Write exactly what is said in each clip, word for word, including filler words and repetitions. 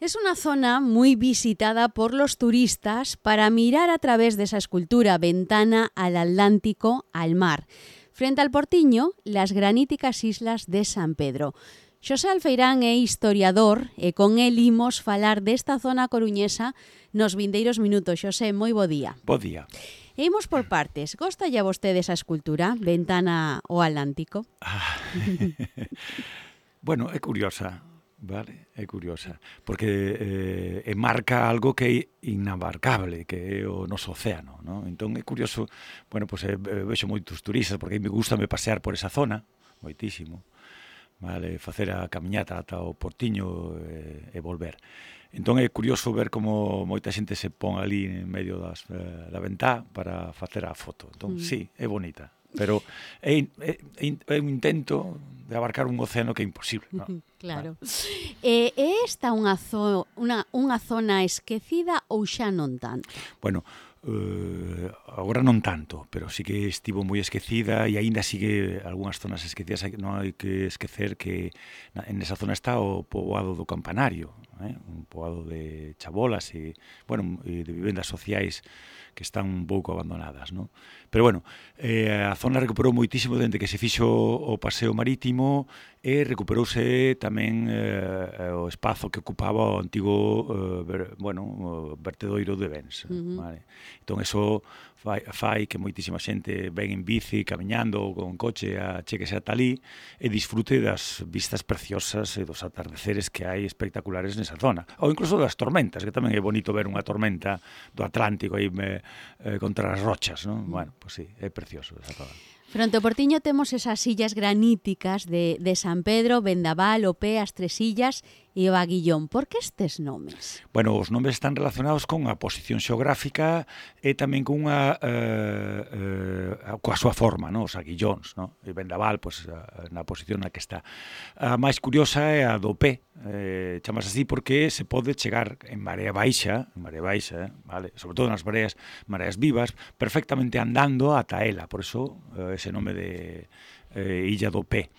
Es una zona muy visitada por los turistas para mirar a través de esa escultura ventana al Atlántico, al mar. Frente al Portiño, las graníticas islas de San Pedro. Xosé Alfeirán é historiador e con el imos falar desta zona coruñesa nos vindeiros minutos. Xosé, moi bo día. Bo día. E imos por partes. Gosta ya vostede esa escultura, ventana ao Atlántico? Ah, bueno, é curiosa, vale? É curiosa, porque eh, marca algo que é inabarcable, que é o noso océano, ¿no? Entón é curioso, bueno, pues, eh, vexo moitos turistas, porque me gusta me pasear por esa zona, moitísimo, vale, facer a camiñata ata o Portiño e, e volver. Entón é curioso ver como moita xente se pon ali en medio das, eh, da ventá para facer a foto. Entón, mm. sí, é bonita, pero é, é, é un intento de abarcar un océano que é imposible, ¿no? Claro. É eh, esta unha, zo, unha, unha zona esquecida ou xa non tanto? Bueno, Uh, agora non tanto, pero sí que estivo moi esquecida e aínda sigue algunhas zonas esquecidas. Non hai que esquecer que en esa zona está o poboado do Campanario, eh? Un poboado de chabolas e, bueno, e de vivendas sociais que están un pouco abandonadas, ¿no? Pero, bueno, eh, a zona recuperou moitísimo dende que se fixo o paseo marítimo e recuperouse tamén eh, o espazo que ocupaba o antigo, eh, ver, bueno, o vertedoiro de Bens, uh-huh. Vale? Entón, eso fai, fai que moitísima xente ven en bici, camiñando ou con coche a chequese ata ali e disfrute das vistas preciosas e dos atardeceres que hai espectaculares nesa zona. Ou incluso das tormentas, que tamén é bonito ver unha tormenta do Atlántico aí me, eh, contra as rochas, non? Bueno, pois pues sí, é precioso esa zona. Fronte ao Portiño temos esas sillas graníticas de, de San Pedro, Vendaval, o Pé, as Tres Sillas e o Aguillón. Por que estes nomes? Bueno, os nomes están relacionados con a posición xeográfica e tamén con unha eh, eh, coa súa forma, no? Os aguillóns, no? E Vendaval, pues, na posición na que está. A máis curiosa é a do Pé, eh, chamas así porque se pode chegar en marea baixa, en marea baixa, vale? Sobre todo nas mareas, mareas vivas, perfectamente andando ata ela, por eso eh, ese nome de eh, Illa do Pé.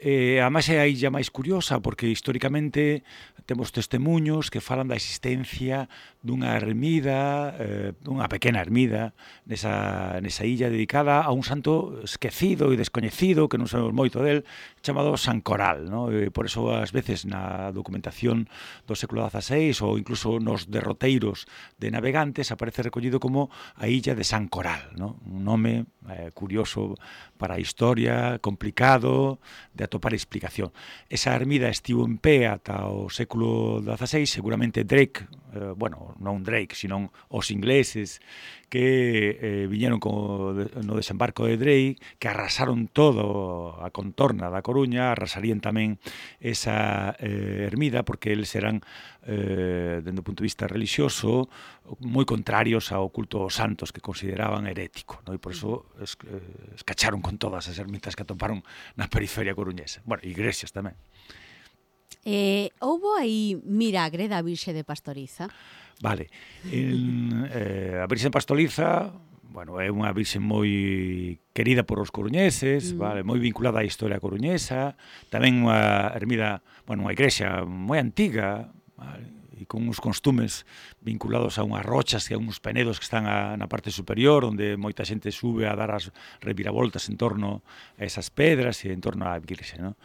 Eh, además é a illa máis curiosa porque históricamente temos testemunhos que falan da existencia dunha ermida, eh, dunha pequena ermida nesa, nesa illa dedicada a un santo esquecido e descoñecido que non sabemos moito del, chamado San Coral, ¿no? E por eso ás veces na documentación do século dieciséis ou incluso nos derroteiros de navegantes aparece recollido como a illa de San Coral, ¿no? Un nome eh, curioso para a historia, complicado de atopar explicación. Esa ermida estivo en pé ata o século dieciséis, seguramente Drake, eh, bueno, non Drake, sino os ingleses que eh, viñeron co, no desembarco de Drake, que arrasaron todo a contorna da Coruña, arrasarían tamén esa eh, ermida, porque eles eran, eh, dende o punto de vista religioso, moi contrarios ao culto aos santos que consideraban herético, ¿no? E por eso es, eh, escacharon con todas as ermitas que atoparon na periferia coruñesa. Bueno, igrexas tamén. Eh, houbo aí milagre da Virxe de Pastoriza? Vale. En, eh, a Virxe de Pastoriza, bueno, é unha virxe moi querida por os coruñeses, mm. vale, moi vinculada á historia coruñesa, tamén unha ermida, bueno, unha igrexa moi antiga, vale, e con uns costumes vinculados a unhas rochas e a uns penedos que están a, na parte superior, onde moita xente sube a dar as reviravoltas en torno a esas pedras e en torno á virxe, ¿no?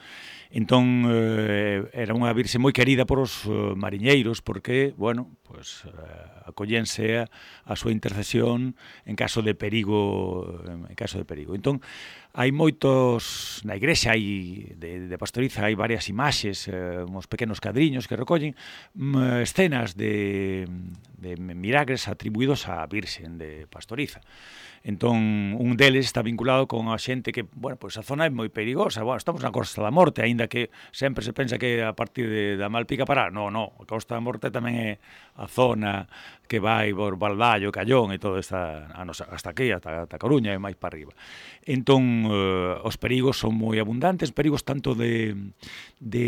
Entón, eh, era unha virxe moi querida por os uh, mariñeiros, porque, bueno, pues, uh, acollense a, a súa intercesión en caso de perigo, en caso de perigo. Entón, hai moitos, na igrexa hai, de, de Pastoriza hai varias imaxes, eh, uns pequenos cadriños que recollen um, escenas de, de milagres atribuídos á Virxen de Pastoriza. Entón, un deles está vinculado con a xente que, bueno, pois a zona é moi perigosa. Bueno, estamos na Costa da Morte, aínda que sempre se pensa que a partir de, da Malpica para, no, no, a Costa da Morte tamén é a zona que vai por Balballo, Callón e todo esta, a nosa, hasta aquí, hasta, hasta Coruña e máis para arriba. Entón, eh, os perigos son moi abundantes, perigos tanto de, de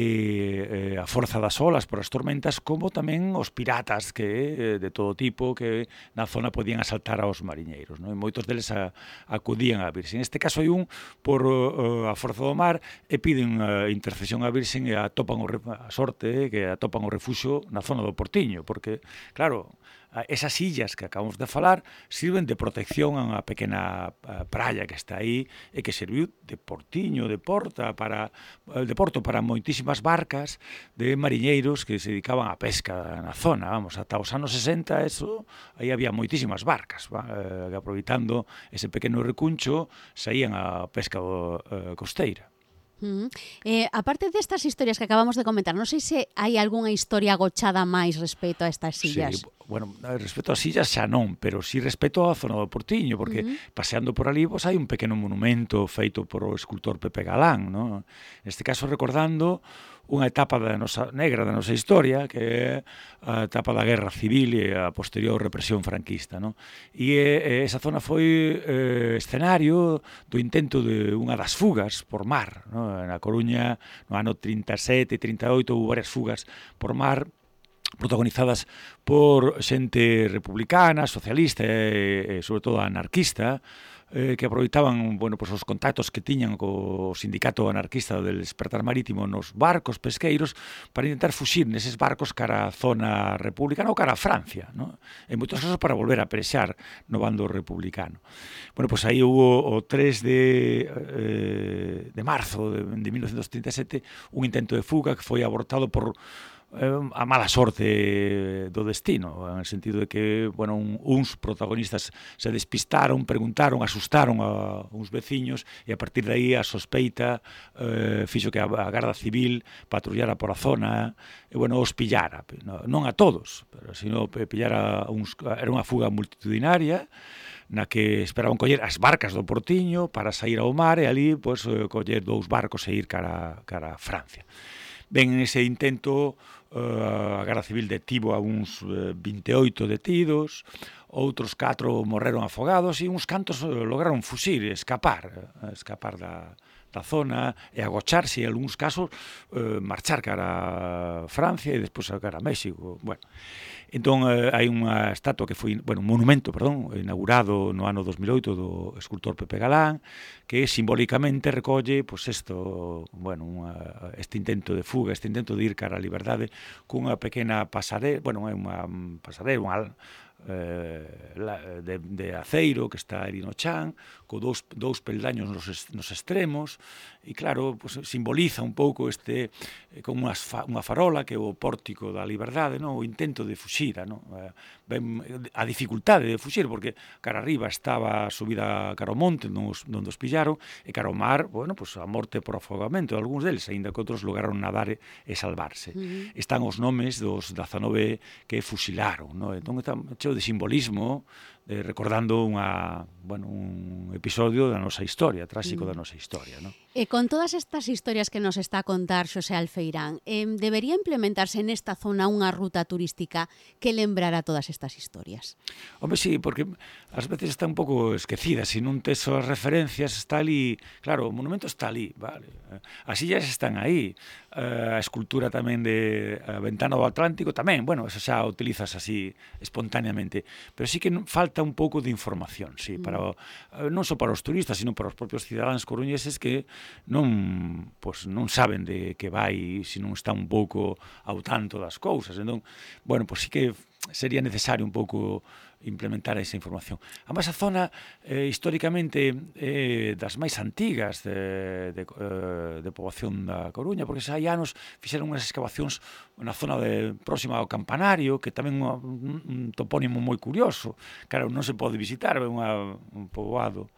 eh, a forza das olas por as tormentas, como tamén os piratas que eh, de todo tipo que na zona podían asaltar aos mariñeiros, non? E moitos deles a, acudían á Virxen. En este caso hai un por uh, a forza do mar e piden a intercesión á Virxen e atopan o, a sorte que atopan o refuxo na zona do Portiño, porque, claro, esas illas que acabamos de falar sirven de protección a unha pequena praia que está aí e que serviu de portiño, de porta para de porto para moitísimas barcas de mariñeiros que se dedicaban á pesca na zona, vamos, ata os anos sesenta eso, aí había moitísimas barcas, va, que aproveitando ese pequeno recuncho saían á pesca uh, costeira. Uh -huh. eh, aparte destas historias que acabamos de comentar, non sei se hai algunha historia agochada máis respecto a estas illas. Sí, bueno, respecto ás illas xa non, pero sí respecto á zona do Portiño, porque uh -huh. paseando por ali pues, hai un pequeno monumento feito por o escultor Pepe Galán, ¿no? Neste caso recordando unha etapa da nosa negra da nosa historia, que é a etapa da Guerra Civil e a posterior represión franquista, ¿no? E, e esa zona foi eh, escenario do intento de unha das fugas por mar, ¿no? Na Coruña, no ano trinta e sete e trinta e oito, houve varias fugas por mar protagonizadas por xente republicana, socialista e, e sobre todo anarquista, eh, que aproveitaban, bueno, pues, os contactos que tiñan co sindicato anarquista del Despertar Marítimo nos barcos pesqueiros para intentar fuxir neses barcos cara a zona republicana ou cara a Francia, ¿no? En moitos casos para volver a pelexar no bando republicano. Bueno, pues aí hubo o tres de, eh, de marzo de, de mil novecientos trinta e sete un intento de fuga que foi abortado por a mala sorte do destino, en el sentido de que, bueno, un, uns protagonistas se despistaron, preguntaron, asustaron a uns veciños e a partir de aí a sospeita eh, fixo que a, a Garda Civil patrullara por a zona e, bueno, os pillara, non a todos, pero sino pillara uns, era unha fuga multitudinaria na que esperaban coller as barcas do Portiño para sair ao mar e ali, pois, coller dous barcos e ir cara, cara a Francia. Ben, en ese intento, uh, a Garda Civil detivo a uns uh, vinte e oito detidos, outros catro morreron afogados e uns cantos uh, lograron fuxir, escapar, uh, escapar da, da zona e agocharse, en algúns casos, uh, marchar cara a Francia e despois cara a México. Bueno, entón, eh, hai unha estatua que foi, bueno, un monumento, perdón, inaugurado no ano dos mil oito do escultor Pepe Galán, que simbólicamente recolle, pois, isto, bueno, unha, este intento de fuga, este intento de ir cara á liberdade cunha pequena pasarela, bueno, é unha pasarela, unha eh, de, de aceiro que está ali no chan, co dous, dous peldaños nos, nos extremos, e claro, pues, simboliza un pouco este, eh, como unha, fa, unha farola que é o pórtico da liberdade, no? O intento de fuxira, no? Eh, ben, a dificultade de fuxir, porque cara arriba estaba subida cara ao monte, onde os pillaron, e cara ao mar, bueno, pues, a morte por afogamento, algúns deles, aínda que outros lograron nadar e, e salvarse. Uh-huh. Están os nomes dos dezanove que fusilaron, no? Entón, está cheo de simbolismo, eh, recordando unha, bueno, un episodio da nosa historia, tráxico da nosa historia, no? E con todas estas historias que nos está a contar Xosé Alfeirán, eh, debería implementarse nesta zona unha ruta turística que lembrara todas estas historias? Home, sí, porque ás veces está un pouco esquecida, se non tes as referencias, está ali, claro, o monumento está ali, vale, as illas están aí, a escultura tamén de a Ventana do Atlántico tamén, bueno, eso xa utilizas así espontáneamente, pero sí que falta un pouco de información, sí, para non só para os turistas, sino para os propios cidadáns coruñeses que non, pois, non saben de que vai, se non está un pouco ao tanto das cousas. Entón, bueno, pois sí que sería necesario un pouco implementar esa información. Además, a zona eh, históricamente eh, das máis antigas de, de, de poboación da Coruña, porque xa hai anos fixeron unhas excavacións na zona de, próxima ao Campanario, que tamén é un, un topónimo moi curioso. Claro, non se pode visitar, é unha, un poboado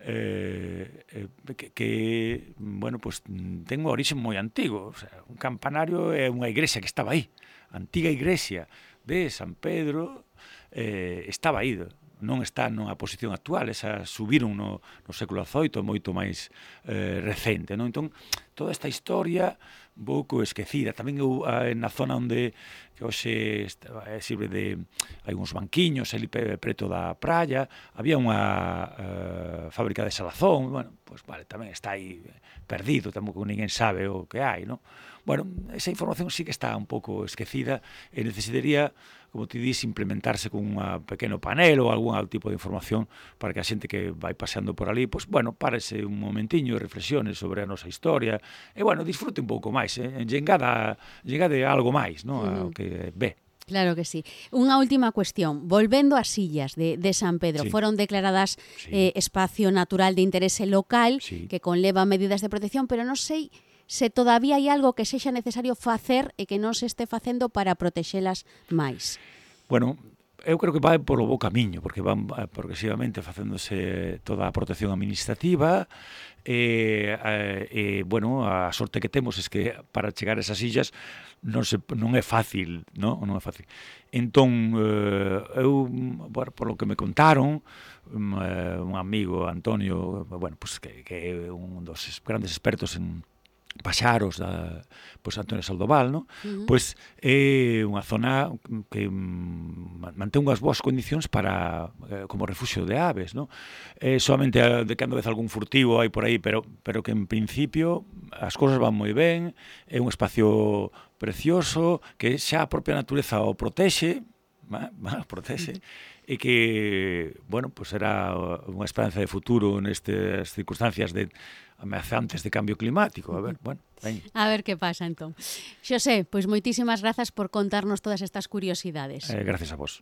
Eh, eh, que, que, bueno, pues ten un orixe moi antigo. O sea, un campanario é unha igrexa que estaba aí, a antiga igrexa de San Pedro, eh, estaba aí, non está nunha posición actual, esa subiron no, no século dezoito, moito máis eh, recente, non? Entón, toda esta historia, un pouco esquecida. Tamén eu, na zona onde que hoxe sirve de... hai uns banquiños ali preto da praia, había unha uh, fábrica de salazón, bueno, pues vale, tamén está aí perdido, tampouco ninguén sabe o que hai, non? Bueno, esa información sí que está un pouco esquecida e necesitaría, como ti dis, implementarse con un pequeno panel ou algún tipo de información para que a xente que vai paseando por ali, pues, bueno, párese un momentiño e reflexione sobre a nosa historia e, bueno, disfrute un pouco máis, eh? Engada, engade algo máis, non? Uh-huh. Ao que ve. Claro que sí. Unha última cuestión. Volvendo ás illas de, de San Pedro, sí. foron declaradas sí. eh, espacio natural de interese local sí. que conleva medidas de protección, pero non sei se todavía hai algo que sexa necesario facer e que non se este facendo para protexelas máis. Bueno, eu creo que vai polo bo camiño, porque van progresivamente facéndose toda a protección administrativa e, e, e bueno, a sorte que temos é que para chegar a esas illas non, se, non é fácil, non, non é fácil. Entón, eu, bueno, por lo que me contaron, un amigo, Antonio, bueno, pues que, que é un dos grandes expertos en paxaros da pois Antonio Saldoval, no? Uh-huh. Pois é unha zona que mm, mantén unhas boas condicións para eh, como refuxio de aves, no? Eh, solamente de cando vez algún furtivo hai por aí, pero pero que en principio as cousas van moi ben, é un espacio precioso que xa a propia natureza o protexe, va, va, protexe. Uh-huh. E que, bueno, pues era unha esperanza de futuro nestas circunstancias de ameazantes de cambio climático. A ver, bueno, ven. A ver que pasa, entón. Xosé, pois moitísimas grazas por contarnos todas estas curiosidades. Eh, gracias a vos.